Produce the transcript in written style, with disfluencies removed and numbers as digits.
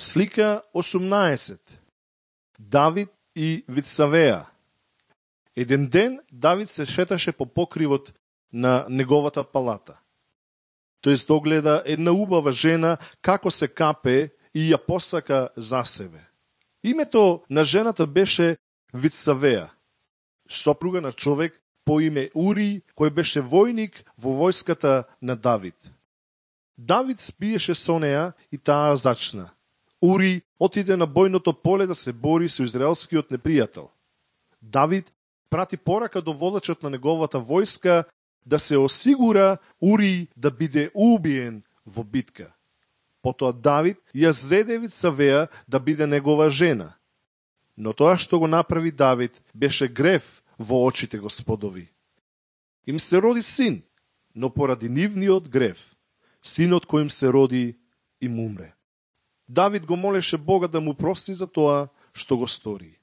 Слика 18. Давид и Вицавеа. Еден ден Давид се шеташе по покривот на неговата палата. Тој догледа една убава жена како се капе и ја посака за себе. Името на жената беше Вицавеа, сопруга на човек по име Ури, кој беше војник во војската на Давид. Давид спиеше со неа и таа зачна. Ури отиде на бојното поле да се бори со израелскиот непријател. Давид прати порака до водачот на неговата војска да се осигура Ури да биде убиен во битка. Потоа Давид ја зеде Вицавеа да биде негова жена. Но тоа што го направи Давид беше грев во очите Господови. Им се роди син, но поради нивниот грев, синот кој им се роди им умре. Давид го молеше Бога да му прости за тоа што го стори.